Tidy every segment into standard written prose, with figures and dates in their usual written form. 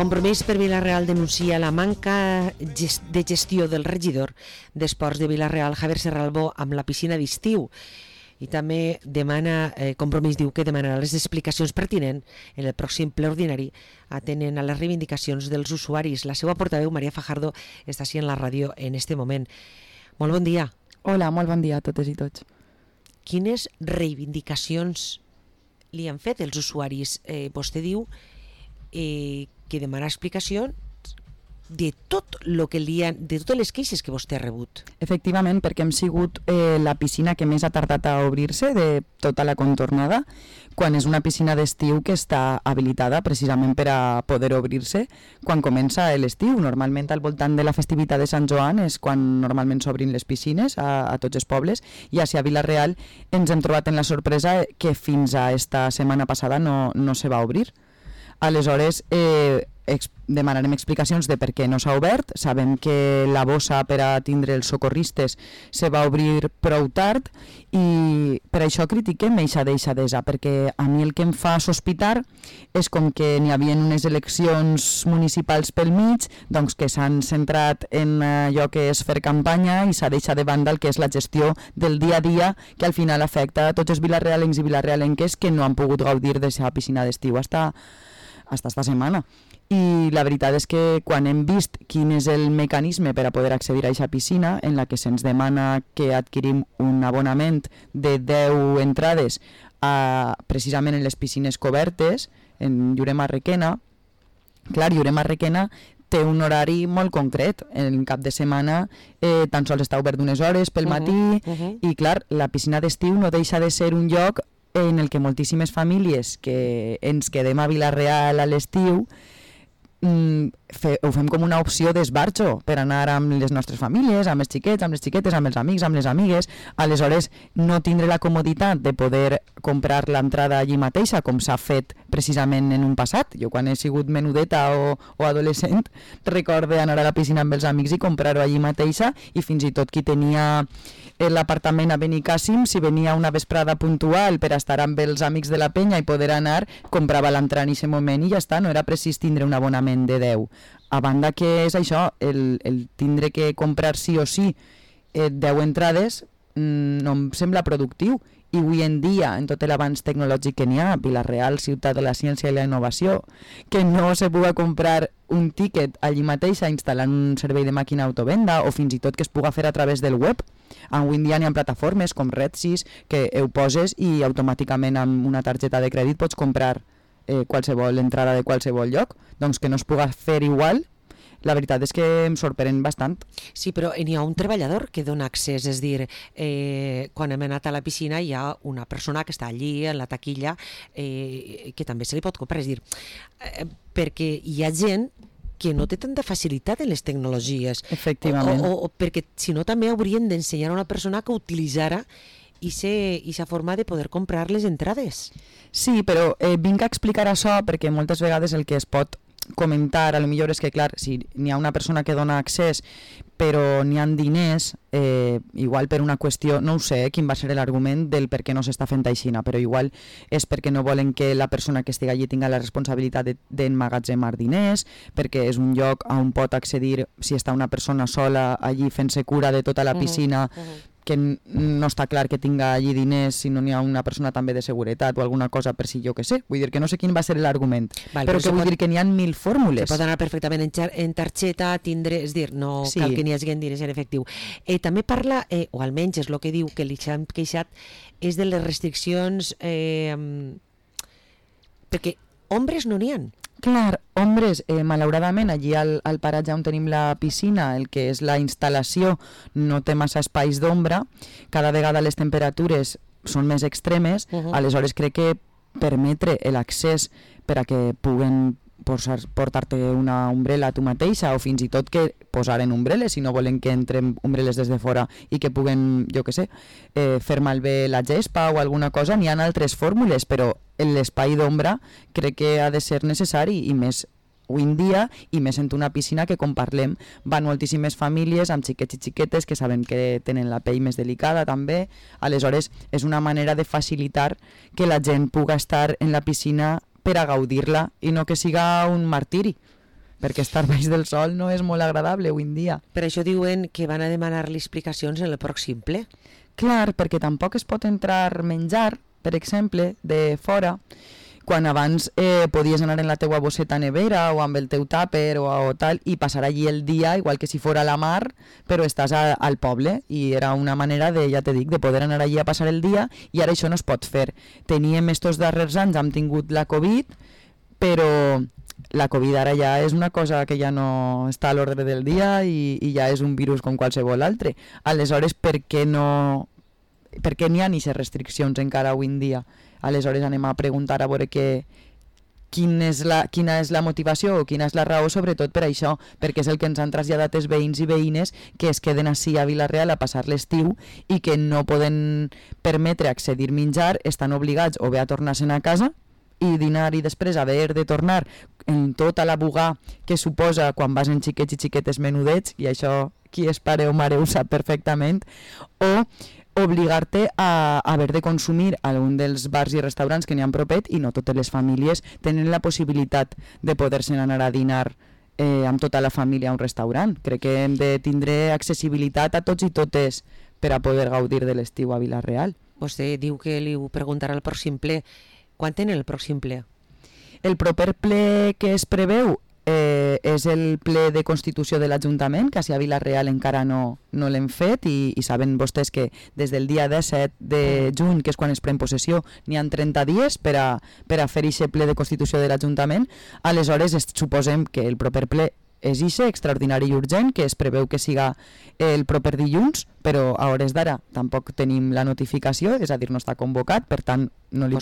Compromís per Vila-real denuncia la manca de gestió del regidor d'Esports de Vila-real, Javier Serralbó, amb la piscina d'estiu. I també demana, Compromís diu que demanarà les explicacions pertinents en el pròxim ple ordinari atenent a les reivindicacions dels usuaris. La seva portaveu, Maria Fajardo, està així en la ràdio en este moment. Molt bon dia. Hola, molt bon dia a totes i tots. Quines reivindicacions li han fet els usuaris? Vostè diu que demana explicacions de tot lo que de totes les queixes que vostè ha rebut. Efectivament, perquè hem sigut la piscina que més ha tardat a obrir-se de tota la contornada, quan és una piscina d'estiu que està habilitada precisament per a poder obrir-se quan comença l'estiu. Normalment al voltant de la festivitat de Sant Joan és quan normalment s'obrin les piscines a tots els pobles, i a Vila-real ens hem trobat en la sorpresa que fins a esta setmana passada no se va obrir. Aleshores, demanarem explicacions de per què no s'ha obert. Sabem que la bossa per a tindre els socorristes se va obrir prou tard i per això critiquem eixa deixadesa, perquè a mi el que em fa sospitar és com que n'hi havia unes eleccions municipals pel mig, doncs que s'han centrat en allò que és fer campanya i s'ha deixat de banda el que és la gestió del dia a dia, que al final afecta a tots els vilarealencs i vilarealenques que no han pogut gaudir d'aquesta piscina d'estiu hasta esta setmana. I la veritat és que quan hem vist quin és el mecanisme per a poder accedir a aquesta piscina, en la que se'ns demana que adquirim un abonament de 10 entrades precisament en les piscines cobertes, en Lloret Requena, clar, Lloret Requena té un horari molt concret. En cap de setmana tan sols està obert unes hores pel matí, i clar, la piscina d'estiu no deixa de ser un lloc en el que moltíssimes famílies que ens quedem a Vila-real a l'estiu ho fem com una opció d'esbarjo per anar amb les nostres famílies, amb els xiquets, amb les xiquetes, amb els amics, amb les amigues. Aleshores, no tindre la comoditat de poder comprar l'entrada allí mateixa, com s'ha fet precisament en un passat. Jo quan he sigut menudeta o adolescent recorde anar a la piscina amb els amics i comprar-ho allí mateixa, i fins i tot qui tenia l'apartament a Benicàssim, si venia una vesprada puntual per estar amb els amics de la penya i poder anar, comprava l'entrada en aquest moment i ja està, no era precís tindre un abonament de 10. A banda que és això, el tindre que comprar sí o sí 10 entrades no em sembla productiu. I avui en dia, en tot l'avanç tecnològic que n'hi ha, Vila-real, ciutat de la ciència i la innovació, que no se pugui comprar un tíquet allí mateix instal·lant un servei de màquina autovenda, o fins i tot que es pugui fer a través del web. Avui en dia n'hi ha plataformes com Redsys que ho poses i automàticament amb una targeta de crèdit pots comprar qualsevol entrada de qualsevol lloc. Doncs que no es pugui fer igual, la veritat és que em sorprèn bastant. Sí, però n'hi ha un treballador que dona accés, és dir, quan hem anat a la piscina hi ha una persona que està allí en la taquilla que també se li pot comprar, és dir, perquè hi ha gent que no té tanta facilitat en les tecnologies. Efectivament. O perquè si no també haurien d'ensenyar a una persona que utilitzara aquesta forma de poder comprar les entrades. Sí, però vinc a explicar això perquè moltes vegades el que es pot comentar, a lo millor és que, clar, si n'hi ha una persona que dona accés però n'hi ha diners, igual per una qüestió, no ho sé quin va ser l'argument del per què no s'està fent aixina, però igual és perquè no volen que la persona que estigui allí tinga la responsabilitat d'emmagatzemar diners, perquè és un lloc on pot accedir si està una persona sola allí fent-se cura de tota la piscina, que no està clar que tinga allí diners si no n'hi ha una persona també de seguretat o alguna cosa per si jo que sé. Vull dir que no sé quin va ser l'argument, però que vull dir que n'hi ha 1000 fórmules. Se pot anar perfectament en targeta, tindre, és dir, no cal que n'hi hagi diners en efectiu. També parla, o almenys és el que diu que li s'han queixat, és de les restriccions, perquè ombres no n'hi ha. Clar, ombres, malauradament allí al paratge on tenim la piscina, el que és la instal·lació no té massa espais d'ombra, cada vegada les temperatures són més extremes, aleshores crec que permetre l'accés per a que puguen portar-te una ombrela tu mateixa, o fins i tot que posaren ombrelles si no volen que entren ombrelles des de fora i que puguen, jo que sé, fer malbé la gespa o alguna cosa. N'hi ha altres fórmules, però l'espai d'ombra crec que ha de ser necessari, i més avui en dia, i més en una piscina que, com parlem, van moltíssimes famílies amb xiquets i xiquetes que saben que tenen la pell més delicada també. Aleshores és una manera de facilitar que la gent pugui estar en la piscina per a gaudir-la i no que siga un martiri. perquè estar baix del sol no és molt agradable avui en dia. Per això diuen que van a demanar-li explicacions en el pròxim ple. Clar, perquè tampoc es pot entrar menjar, per exemple, de fora, quan abans podies anar en la teua bosseta nevera o amb el teu tàper o tal i passar allí el dia, igual que si fora a la mar, però estàs al poble i era una manera de, ja te dic, de poder anar allí a passar el dia i ara això no es pot fer. Teníem estos darrers anys, hem tingut la Covid, però la Covid ara ja és una cosa que ja no està a l'ordre del dia i ja és un virus com qualsevol altre. Aleshores, per què n'hi ha aquestes restriccions encara avui en dia? Aleshores anem a preguntar a veure quina és la motivació o quina és la raó, sobretot per això, perquè és el que ens han traslladat els veïns i veïnes que es queden ací a Vila-real a passar l'estiu i que no poden permetre accedir menjar, estan obligats o bé a tornar-se'n a casa i dinar i després haver de tornar en tota la bugà que suposa quan vas en xiquets i xiquetes menudets, i això qui és pare o mare ho sap perfectament, o obligar-te a haver de consumir a un dels bars i restaurants que n'hi ha propet, i no totes les famílies tenen la possibilitat de poder-se anar a dinar amb tota la família a un restaurant. Crec que hem de tindre accessibilitat a tots i totes per a poder gaudir de l'estiu a Vila-real. Vostè diu que li ho preguntarà al pròxim ple. Quan tenen el pròxim ple? El proper ple que es preveu és el ple de Constitució de l'Ajuntament, que a Vila-real encara no l'hem fet i saben vostès que des del dia 17 de juny, que és quan es pren possessió, n'hi ha 30 dies per a fer aquest ple de Constitució de l'Ajuntament. Aleshores suposem que el proper ple és ixe, extraordinari i urgent, que es preveu que siga el proper dilluns, però a hores d'ara tampoc tenim la notificació, és a dir, no està convocat, per tant no li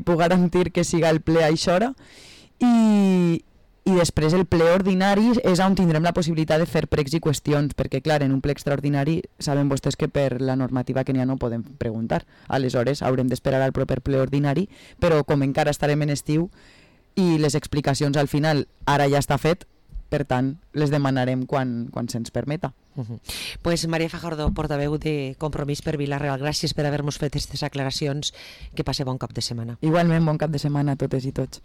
puc garantir que siga el ple a aquesta hora. I després el ple ordinari és on tindrem la possibilitat de fer pregs i qüestions, perquè clar, en un ple extraordinari saben vostès que per la normativa que n'hi ha no podem preguntar. Aleshores haurem d'esperar al proper ple ordinari, però com encara estarem en estiu i les explicacions al final ara ja està fet, per tant les demanarem quan se'ns permeta. Pues Maria Fajardo, portaveu de Compromís per Vila-real, gràcies per haver-nos fet aquestes aclaracions. Que passe bon cap de setmana. Igualment, bon cap de setmana a totes i tots.